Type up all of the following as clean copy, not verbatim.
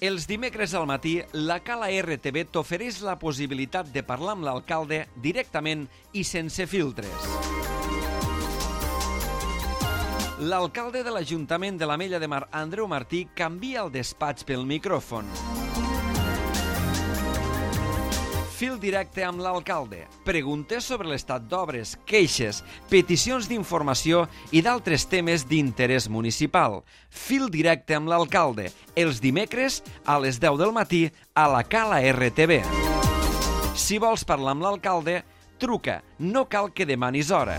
Els dimecres al matí, la Cala RTV t'ofereix la possibilitat de parlar amb l'alcalde directament i sense filtres. L'alcalde de l'Ajuntament de l'Ametlla de Mar, Andreu Martí, canvia el despatx pel micròfon. Fil directe amb l'alcalde. Preguntes sobre l'estat d'obres, queixes, peticions d'informació i d'altres temes d'interès municipal. Fil directe amb l'alcalde. Els dimecres a les 10 del matí a la Cala RTV. Si vols parlar amb l'alcalde, truca. No cal que demanis hora.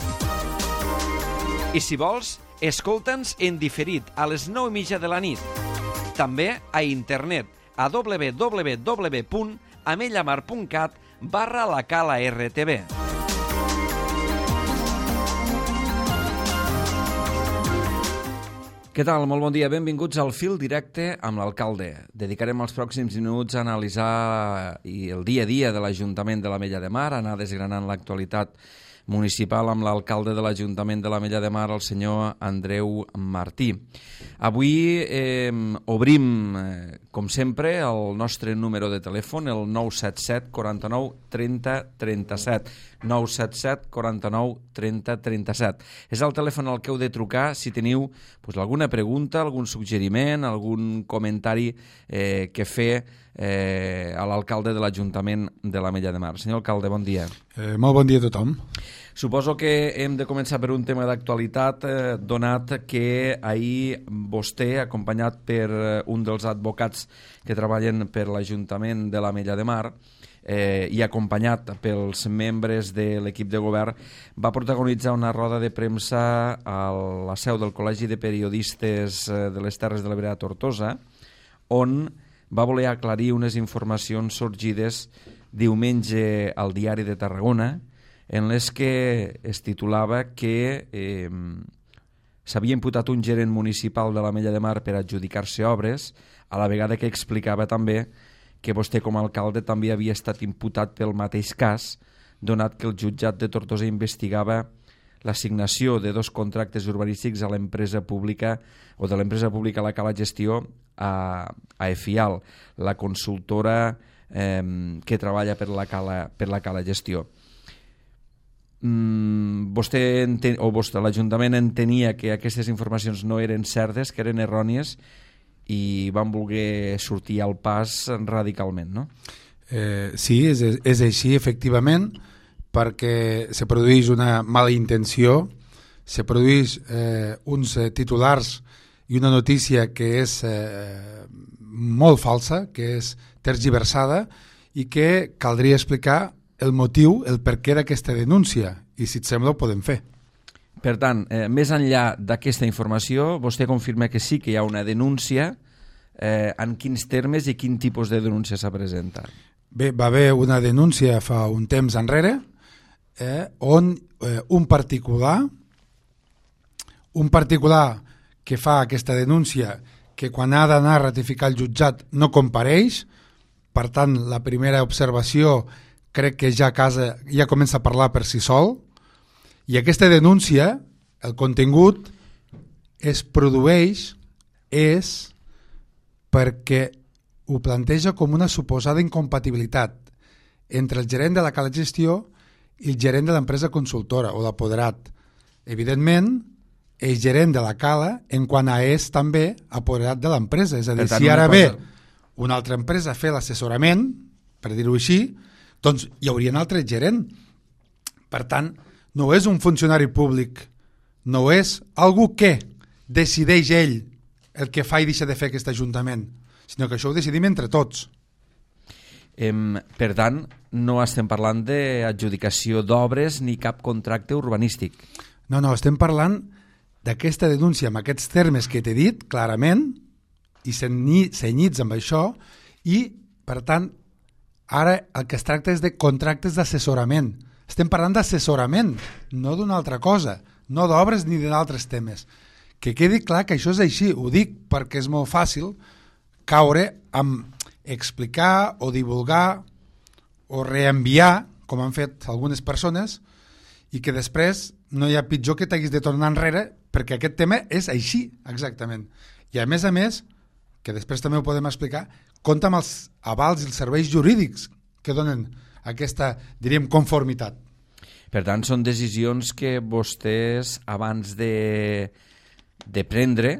I si vols, escolta'ns en diferit a les 9:30 de la nit. També a internet a www.amellamar.cat/la Cala RTV. Què tal? Molt bon dia. Benvinguts al Fil Directe amb l'alcalde. Dedicarem els pròxims minuts a analitzar el dia a dia de l'Ajuntament de l'Ametlla de Mar, anar desgranant l'actualitat municipal amb l'alcalde de l'Ajuntament de l'Ametlla de Mar, el senyor Andreu Martí. Avui obrim, com sempre, el nostre número de telèfon, el 977 49 30 37. 977 49 30 37. És el telèfon al que heu de trucar si teniu alguna pregunta, algun suggeriment, algun comentari que fer a l'alcalde de l'Ajuntament de l'Ametlla de Mar. Senyor alcalde, bon dia. Molt bon dia a tothom. Suposo que hem de començar per un tema d'actualitat, donat que ahir vostè, acompanyat per un dels advocats que treballen per l'Ajuntament de l'Ametlla de Mar, i acompanyat pels membres de l'equip de govern, va protagonitzar una roda de premsa a la seu del Col·legi de Periodistes de les Terres de l'Ebre a Tortosa, on va voler aclarir unes informacions sorgides diumenge al Diari de Tarragona, en les que es titulava que s'havia imputat un gerent municipal de l'Ametlla de Mar per adjudicar-se obres, a la vegada que explicava també que vostè com a alcalde també havia estat imputat pel mateix cas, donat que el jutjat de Tortosa investigava l'assignació de 2 contractes urbanístics a l'empresa pública o de l'empresa pública a la Cala Gestió a EFIAL, la consultora que treballa per la Cala Gestió. L'Ajuntament entenia que aquestes informacions no eren certes, que eren errònies, i van voler sortir al pas radicalment, no? Sí, és així, efectivament, perquè se produeix una mala intenció, se produeix uns titulars i una notícia que és molt falsa, que és tergiversada, i que caldria explicar el motiu, el perquè d'aquesta denúncia, i si et sembla ho podem fer. Per tant, més enllà d'aquesta informació, vostè confirma que sí que hi ha una denúncia. En quins termes i quin tipus de denúncia s'ha presentat? Bé, va haver una denúncia fa un temps enrere on un particular que fa aquesta denúncia, que quan ha d'anar a ratificar el jutjat no compareix. Per tant, la primera observació crec que ja comença a parlar per si sol, i aquesta denúncia, el contingut es produeix perquè ho planteja com una suposada incompatibilitat entre el gerent de la Cala Gestió i el gerent de l'empresa consultora o l'apoderat. Evidentment, el gerent de la Cala en quant a és també apoderat de l'empresa. És a dir, si ara ve una altra empresa a fer l'assessorament, per dir-ho així, doncs hi hauria un altre gerent. Per tant, no és un funcionari públic, no és algú que decideix ell el que fa i deixa de fer aquest Ajuntament, sinó que això ho decidim entre tots. Per tant, no estem parlant d'adjudicació d'obres ni cap contracte urbanístic. No, estem parlant d'aquesta denúncia amb aquests termes que t'he dit clarament i cenyits amb això, i per tant ara el que es tracta és de contractes d'assessorament. Estem parlant d'assessorament, no d'una altra cosa, no d'obres ni d'altres temes. Que quedi clar que això és així, ho dic perquè és molt fàcil caure amb explicar o divulgar o reenviar, com han fet algunes persones, i que després no hi ha pitjor que t'haguis de tornar enrere perquè aquest tema és així, exactament. I a més, que després també ho podem explicar, compta amb els avals i els serveis jurídics que donen aquesta, diríem, conformitat. Per tant, són decisions que vostès, abans de prendre,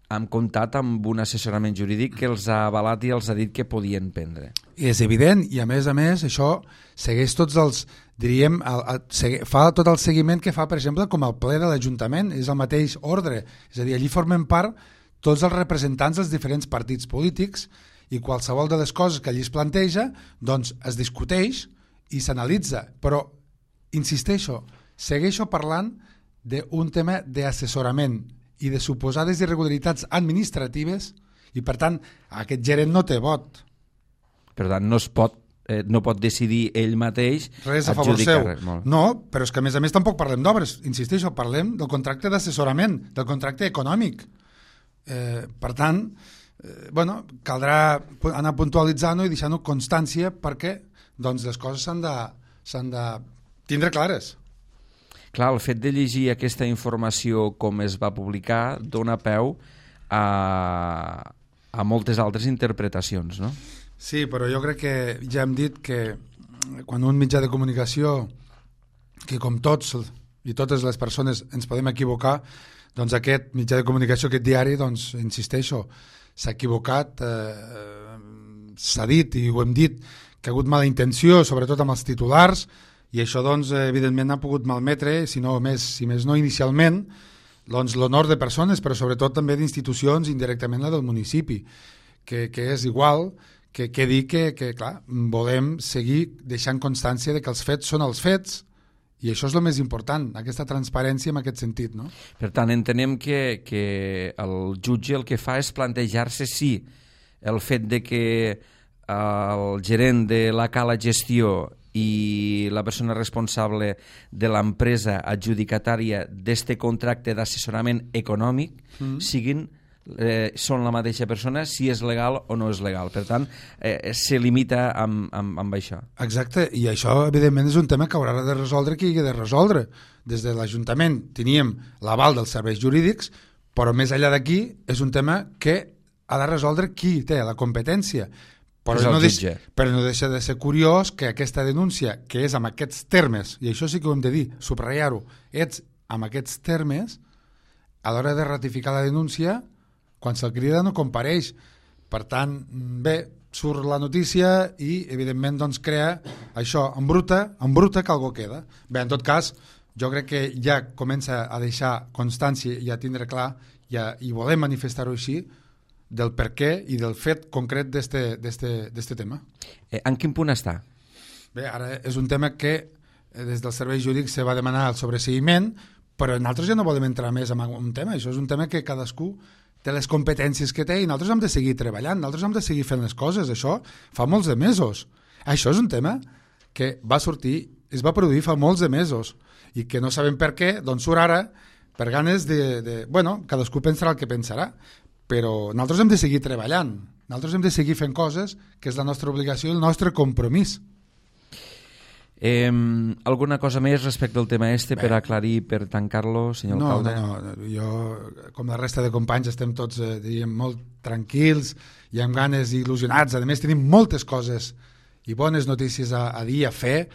han comptat amb un assessorament jurídic que els ha avalat i els ha dit que podien prendre. I és evident, i a més, això segueix tots els, diríem, fa tot el seguiment que fa, per exemple, com el ple de l'Ajuntament, és el mateix ordre. És a dir, allí formen part tots els representants dels diferents partits polítics i qualsevol de les coses que allí es planteja, doncs es discuteix i s'analitza. Però, insisteixo, segueixo parlant d'un tema d'assessorament i de suposades irregularitats administratives i, per tant, aquest gerent no té vot. Per tant, no pot decidir ell mateix res a favor seu. Molt. No, però és que a més tampoc parlem d'obres. Insisteixo, parlem del contracte d'assessorament, del contracte econòmic. Per tant, caldrà anar puntualitzant-ho i deixant-ho constància perquè doncs, les coses s'han de tindre clares. Clar, el fet de llegir aquesta informació com es va publicar dona peu a moltes altres interpretacions, no? Sí, però jo crec que ja hem dit que quan un mitjà de comunicació, que com tots i totes les persones ens podem equivocar, doncs aquest mitjà de comunicació, aquest diari, doncs, insisteixo, s'ha equivocat, s'ha dit i ho hem dit, que ha hagut mala intenció, sobretot amb els titulars, i això, doncs, evidentment ha pogut malmetre, si més no inicialment, doncs, l'honor de persones, però sobretot també d'institucions, indirectament la del municipi, que és igual que dir que, clar, volem seguir deixant constància de que els fets són els fets, i això és el més important, aquesta transparència en aquest sentit, no? Per tant, entenem que el jutge el que fa és plantejar-se si el fet de que el gerent de la Cala Gestió i la persona responsable de l'empresa adjudicatària d'este contracte d'assessorament econòmic són la mateixa persona, si és legal o no és legal. Per tant, se limita amb això. Exacte, i això evidentment és un tema que haurà de resoldre qui hagi de resoldre. Des de l'Ajuntament teníem l'aval dels serveis jurídics, però més enllà d'aquí és un tema que ha de resoldre qui té la competència. Però no deixa de ser curiós que aquesta denúncia, que és amb aquests termes, i això sí que ho hem de dir, subratllar-ho, ets amb aquests termes, a l'hora de ratificar la denúncia, quan se'l crida no compareix. Per tant, bé, surt la notícia i, evidentment, doncs crea això, en bruta que algú queda. Bé, en tot cas, jo crec que ja comença a deixar constància i a tindre clar, i volem manifestar-ho així, del per què i del fet concret d'este tema. En quin punt està? Bé, ara és un tema que des dels serveis jurídics se va demanar el sobreseguiment, però nosaltres ja no volem entrar més en un tema. Això és un tema que cadascú té les competències que té i nosaltres hem de seguir treballant, nosaltres hem de seguir fent les coses. Això fa molts de mesos. Això és un tema que va sortir, es va produir fa molts de mesos i que no sabem per què, doncs surt ara per ganes bueno, cadascú pensarà el que pensarà, però nosaltres hem de seguir treballant, nosaltres hem de seguir fent coses, que és la nostra obligació i el nostre compromís. Alguna cosa més respecte al tema per aclarir, per tancar-lo, senyor alcalde? No, jo, com la resta de companys, estem tots diríem, molt tranquils i amb ganes i il·lusionats. A més, tenim moltes coses i bones notícies a dir, a fer.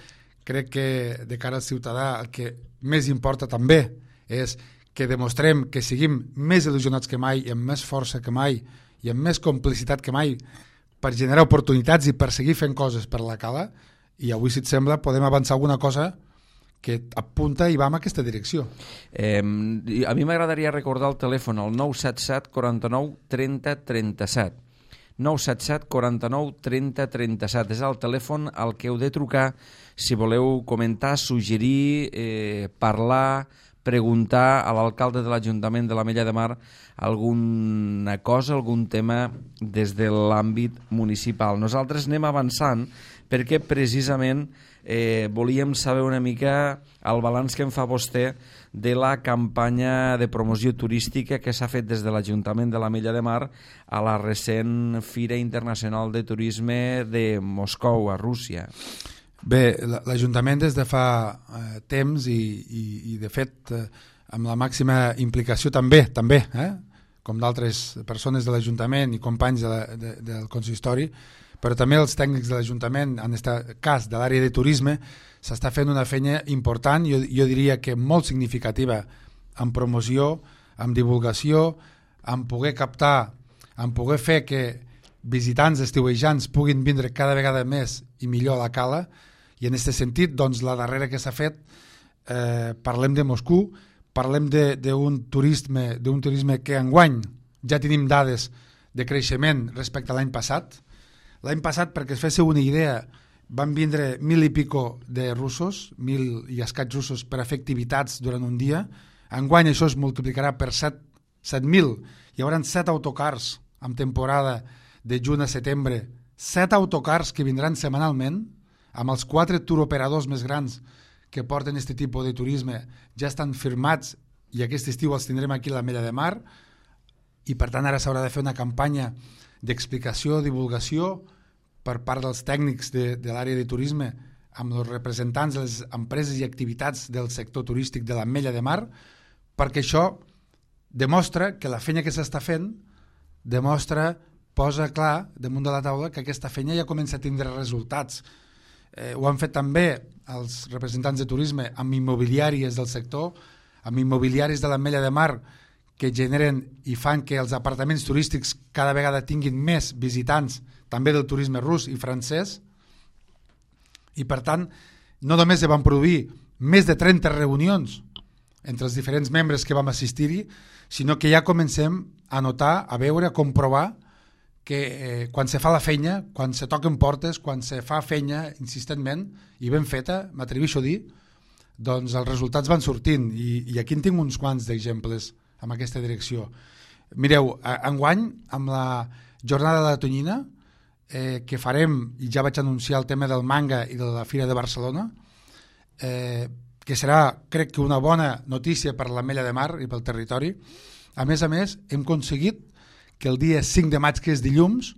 Crec que de cara al ciutadà el que més importa també és que demostrem que siguim més il·lusionats que mai i amb més força que mai i amb més complicitat que mai per generar oportunitats i per seguir fent coses per la Cala, i avui, si et sembla, podem avançar alguna cosa que apunta i va en aquesta direcció. A mi m'agradaria recordar el telèfon, el 977 49 30 37. 977 49 30 37. És el telèfon al que heu de trucar si voleu comentar, suggerir, parlar, preguntar a l'alcalde de l'Ajuntament de l'Ametlla de Mar alguna cosa, algun tema des de l'àmbit municipal. Nosaltres anem avançant perquè precisament volíem saber una mica el balanç que en fa vostè de la campanya de promoció turística que s'ha fet des de l'Ajuntament de l'Ametlla de Mar a la recent Fira Internacional de Turisme de Moscou, a Rússia. Bé, l'Ajuntament des de fa temps i de fet amb la màxima implicació també com d'altres persones de l'Ajuntament i companys del consistori, però també els tècnics de l'Ajuntament, en aquest cas de l'àrea de turisme, s'està fent una feina important, jo diria que molt significativa, en promoció, en divulgació, en poder captar, en poder fer que visitants estiuejants puguin vindre cada vegada més i millor a la cala, i en aquest sentit, doncs, la darrera que s'ha fet, parlem de Moscou, parlem d'un turisme que enguany ja tenim dades de creixement respecte a l'any passat. L'any passat, perquè es féssiu una idea, van vindre 1.000 i pico de russos, 1.000 i escaig russos per a fer activitats durant un dia. Enguany això es multiplicarà per 7.000. Hi haurà 7 autocars en temporada de juny a setembre, 7 autocars que vindran setmanalment, amb els 4 turoperadors més grans que porten aquest tipus de turisme ja estan firmats i aquest estiu els tindrem aquí a l'Ametlla de Mar, i per tant ara s'haurà de fer una campanya d'explicació, divulgació per part dels tècnics de l'àrea de turisme amb els representants de les empreses i activitats del sector turístic de l'Ametlla de Mar, perquè això demostra que la feina que s'està fent posa clar damunt de la taula que aquesta feina ja comença a tindre resultats. Ho han fet també els representants de turisme amb immobiliàries del sector, amb immobiliaris de l'Ametlla de Mar, que generen i fan que els apartaments turístics cada vegada tinguin més visitants, també del turisme rus i francès, i per tant no només van produir més de 30 reunions entre els diferents membres que vam assistir-hi, sinó que ja comencem a notar, a veure, a comprovar que quan se fa la feina, quan se toquen portes, quan se fa feina insistentment i ben feta, m'atreveixo a dir, doncs els resultats van sortint, i aquí en tinc uns quants d'exemples en aquesta direcció. Mireu, enguany, amb la jornada de la tonyina, que farem, i ja vaig anunciar el tema del manga i de la Fira de Barcelona, que serà, crec que una bona notícia per l'Ametlla de Mar i pel territori. A més, hem aconseguit que el dia 5 de maig, que és dilluns,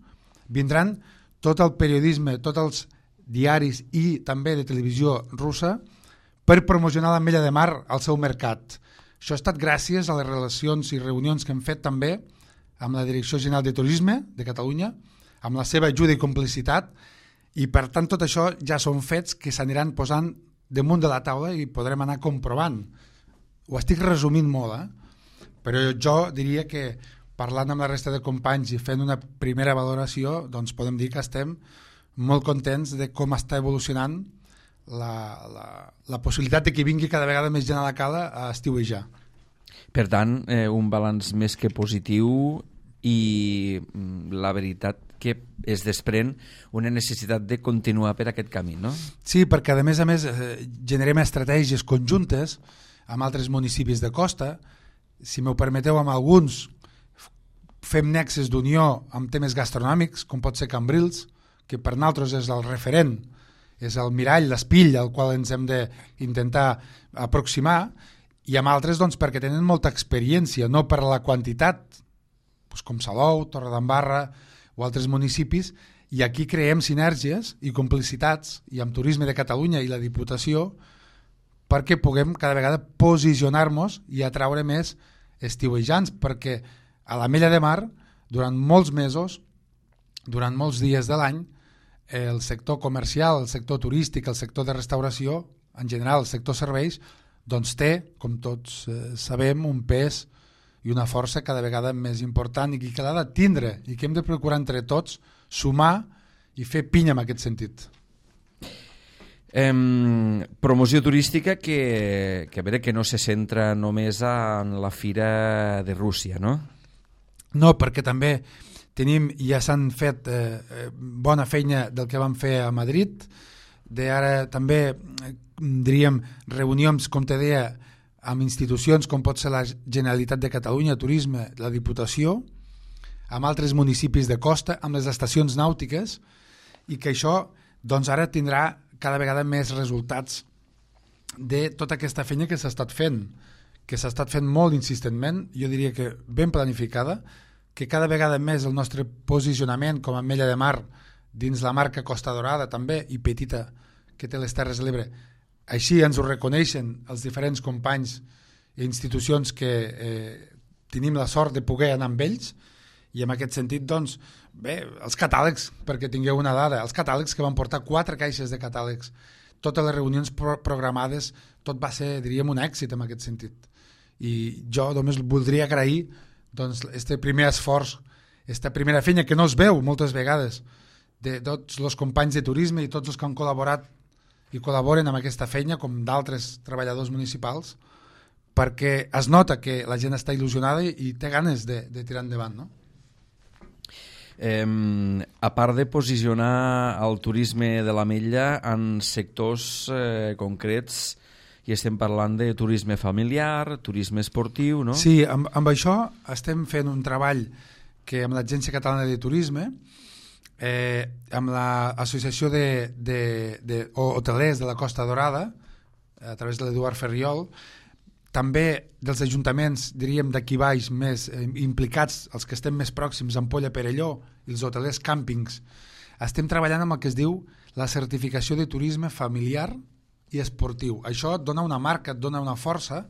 vindran tot el periodisme, tots els diaris i també de televisió russa per promocionar l'Ametlla de Mar al seu mercat. Això ha estat gràcies a les relacions i reunions que hem fet també amb la Direcció General de Turisme de Catalunya, amb la seva ajuda i complicitat, i per tant tot això ja són fets que s'aniran posant damunt de la taula i podrem anar comprovant. Ho estic resumint molt, però jo diria que parlant amb la resta de companys i fent una primera valoració, doncs podem dir que estem molt contents de com està evolucionant la possibilitat de que vingui cada vegada més gent a la cala a estiuejar. Per tant, un balanç més que positiu, i la veritat que es desprèn una necessitat de continuar per aquest camí, no? Sí, perquè a més generem estratègies conjuntes amb altres municipis de costa. Si m'ho permeteu, amb alguns fem nexes d'unió amb temes gastronòmics, com pot ser Cambrils, que per nosaltres és el referent, és el mirall, l'espill al qual ens hem d'intentar aproximar, i amb altres doncs, perquè tenen molta experiència, no per la quantitat, doncs, com Salou, Torredembarra o altres municipis, i aquí creem sinergies i complicitats, i amb Turisme de Catalunya i la Diputació, perquè puguem cada vegada posicionar-nos i atraure més estiuejants, perquè a l'Ametlla de Mar, durant molts mesos, durant molts dies de l'any, el sector comercial, el sector turístic, el sector de restauració, en general el sector serveis, doncs té, com tots sabem, un pes i una força cada vegada més important i que l'ha de tindre i que hem de procurar entre tots sumar i fer pinya en aquest sentit. Promoció turística que a veure que no se centra només en la Fira de Rússia, no? No, perquè també tenim, ja s'han fet bona feina del que vam fer a Madrid, ara també diríem reunions, com te deia, amb institucions com pot ser la Generalitat de Catalunya, Turisme, la Diputació, amb altres municipis de costa, amb les estacions nàutiques, i que això doncs ara tindrà cada vegada més resultats de tota aquesta feina que s'ha estat fent molt insistentment, jo diria que ben planificada, que cada vegada més el nostre posicionament com a Ametlla de Mar dins la marca Costa Dorada també, i petita que té les Terres de l'Ebre, així ens ho reconeixen els diferents companys i institucions que tenim la sort de poder anar amb ells, i en aquest sentit, doncs, bé, els catàlegs, perquè tingueu una dada, els catàlegs que van portar 4 caixes de catàlegs, totes les reunions programades, tot va ser, diríem, un èxit en aquest sentit. I jo només voldria agrair doncs, este primer esforç, esta primera feina que no es veu moltes vegades, de tots els companys de turisme i tots els que han col·laborat i col·laboren amb aquesta feina, com d'altres treballadors municipals, perquè es nota que la gent està il·lusionada i té ganes de tirar endavant, no? A part de posicionar el turisme de l'Ametlla en sectors concrets, i estem parlant de turisme familiar, turisme esportiu, no? Sí, amb això estem fent un treball que amb l'Agència Catalana de Turisme, amb l'Associació de Hotelers de la Costa Dorada, a través de l'Eduard Ferriol, també dels ajuntaments, diríem, d'aquí baix més implicats, els que estem més pròxims, Ampolla, Perelló, i els hotelers càmpings, estem treballant amb el que es diu la certificació de turisme familiar i esportiu. Això et dona una marca, et dona una força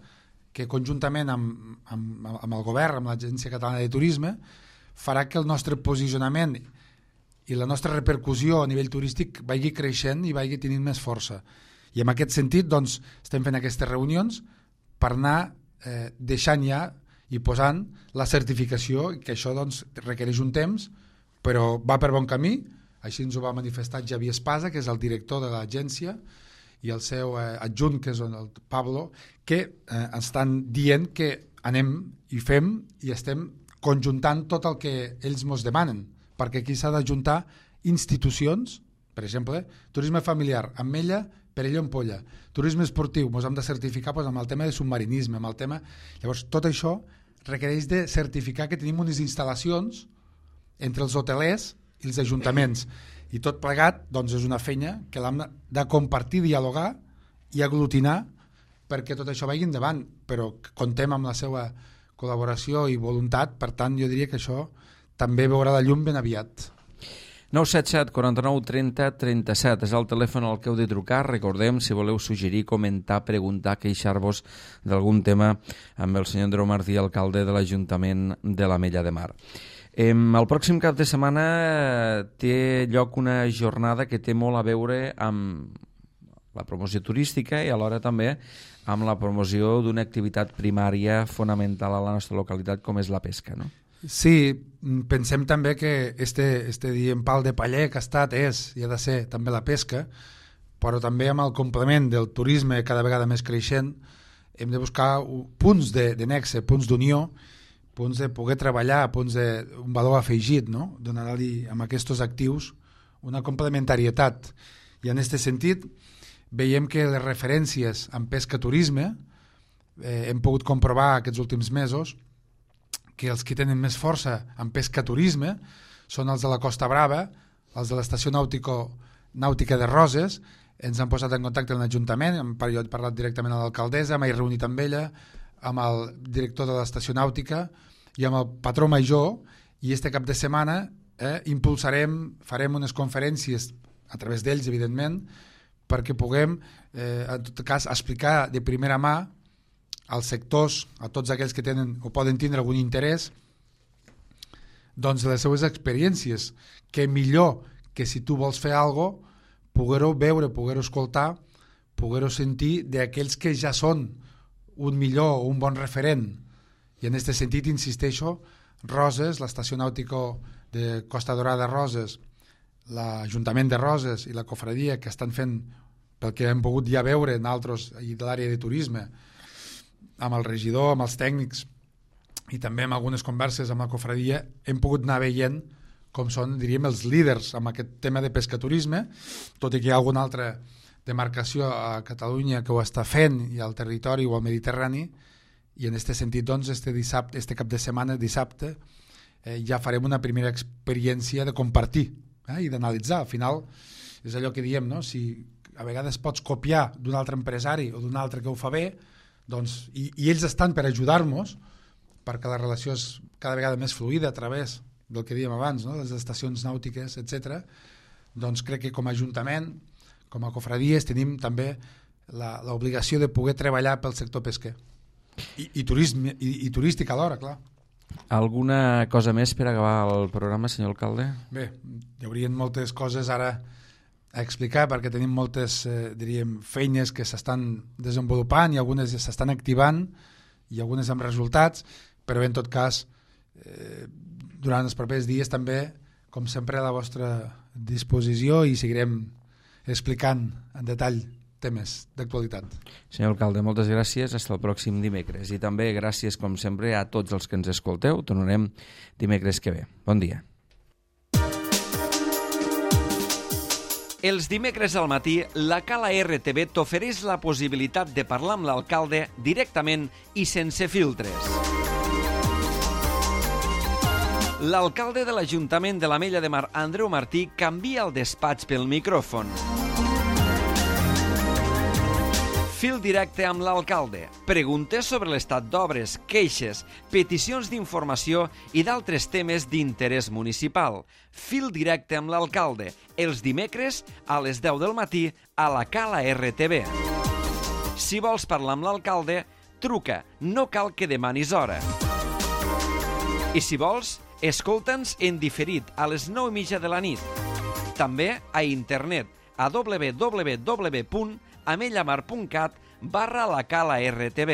que conjuntament amb el govern, amb l'Agència Catalana de Turisme, farà que el nostre posicionament i la nostra repercussió a nivell turístic vagi creixent i vagi tenint més força. I en aquest sentit, doncs, estem fent aquestes reunions per anar deixant ja i posant la certificació, que això doncs, requereix un temps, però va per bon camí. Així ens ho va manifestar Javier Espasa, que és el director de l'agència, i el seu adjunt, que és el Pablo, que estan dient que anem i fem i estem conjuntant tot el que ells ens demanen, perquè aquí s'ha d'ajuntar institucions, per exemple, turisme familiar, Ametlla, Perelló, Ampolla, turisme esportiu, ens hem de certificar amb el tema de submarinisme, amb el tema... Llavors, tot això requereix de certificar que tenim unes instal·lacions entre els hotelers i els ajuntaments, i tot plegat doncs, és una feina que l'hem de compartir, dialogar i aglutinar perquè tot això vagi endavant, però contem amb la seva col·laboració i voluntat, per tant jo diria que això també veurà la llum ben aviat. 977 49 30 37 és el telèfon al que heu de trucar. Recordem, si voleu suggerir, comentar, preguntar, queixar-vos d'algun tema amb el senyor Andreu Martí, alcalde de l'Ajuntament de l'Ametlla de Mar. El pròxim cap de setmana té lloc una jornada que té molt a veure amb la promoció turística i alhora també amb la promoció d'una activitat primària fonamental a la nostra localitat com és la pesca, no? Sí, pensem també que este diem pal de paller que ha estat i ha de ser també la pesca, però també amb el complement del turisme cada vegada més creixent hem de buscar punts de nexe, punts d'unió, punts de poder treballar, punts d'un valor afegit, no? Donar-li amb aquests actius una complementarietat. I en aquest sentit veiem que les referències en pesca-turisme hem pogut comprovar aquests últims mesos que els que tenen més força en pesca-turisme són els de la Costa Brava, els de l'estació nàutica de Roses. Ens han posat en contacte amb l'Ajuntament, jo he parlat directament amb l'alcaldessa, m'he reunit amb ella, amb el director de l'estació nàutica i amb el patró major, i este cap de setmana farem unes conferències a través d'ells, evidentment, perquè puguem, en tot cas, explicar de primera mà als sectors, a tots aquells que tenen o poden tindre algun interès, doncs les seues experiències, que millor que si tu vols fer alguna cosa, poder-ho veure, poder-ho escoltar, poder-ho sentir d'aquells que ja són un millor o un bon referent. I en aquest sentit, insisteixo, Roses, l'estació nàutica de Costa Dorada Roses, l'Ajuntament de Roses i la Cofradia, que estan fent, pel que hem pogut ja veure en altres i de l'àrea de turisme, amb el regidor, amb els tècnics i també amb algunes converses amb la Cofradia, hem pogut anar veient com són, diríem, els líders amb aquest tema de pescaturisme, tot i que hi ha alguna altra demarcació a Catalunya que ho està fent, i al territori o al Mediterrani, i en aquest sentit, doncs, este cap de setmana, dissabte, ja farem una primera experiència de compartir i d'analitzar. Al final, és allò que diem, no? Si a vegades pots copiar d'un altre empresari o d'un altre que ho fa bé, doncs, i ells estan per ajudar-nos perquè la relació és cada vegada més fluida a través del que dèiem abans, no? Les estacions nàutiques, etc. Doncs crec que com a Ajuntament, com a cofradies, tenim també l'obligació de poder treballar pel sector pesquer i turístic alhora, clar. Alguna cosa més per acabar el programa, senyor alcalde? Bé, hi haurien moltes coses ara a explicar perquè tenim moltes, diríem, feines que s'estan desenvolupant i algunes s'estan activant i algunes amb resultats, però bé, en tot cas, durant els propers dies també, com sempre, a la vostra disposició i seguirem explicant en detall temes d'actualitat. Senyor alcalde, moltes gràcies. Fins el pròxim dimecres. I també gràcies, com sempre, a tots els que ens escolteu. Tornarem dimecres que ve. Bon dia. Els dimecres al matí, la Cala RTV t'ofereix la possibilitat de parlar amb l'alcalde directament i sense filtres. L'alcalde de l'Ajuntament de l'Ametlla de Mar, Andreu Martí, canvia el despatx pel micròfon. Fil directe amb l'alcalde. Preguntes sobre l'estat d'obres, queixes, peticions d'informació i d'altres temes d'interès municipal. Fil directe amb l'alcalde. Els dimecres a les 10 del matí a la Cala RTV. Si vols parlar amb l'alcalde, truca. No cal que demanis hora. I si vols, escolta'ns en diferit a les 9:30 de la nit. També a internet a www.amellamar.cat/la Cala RTV.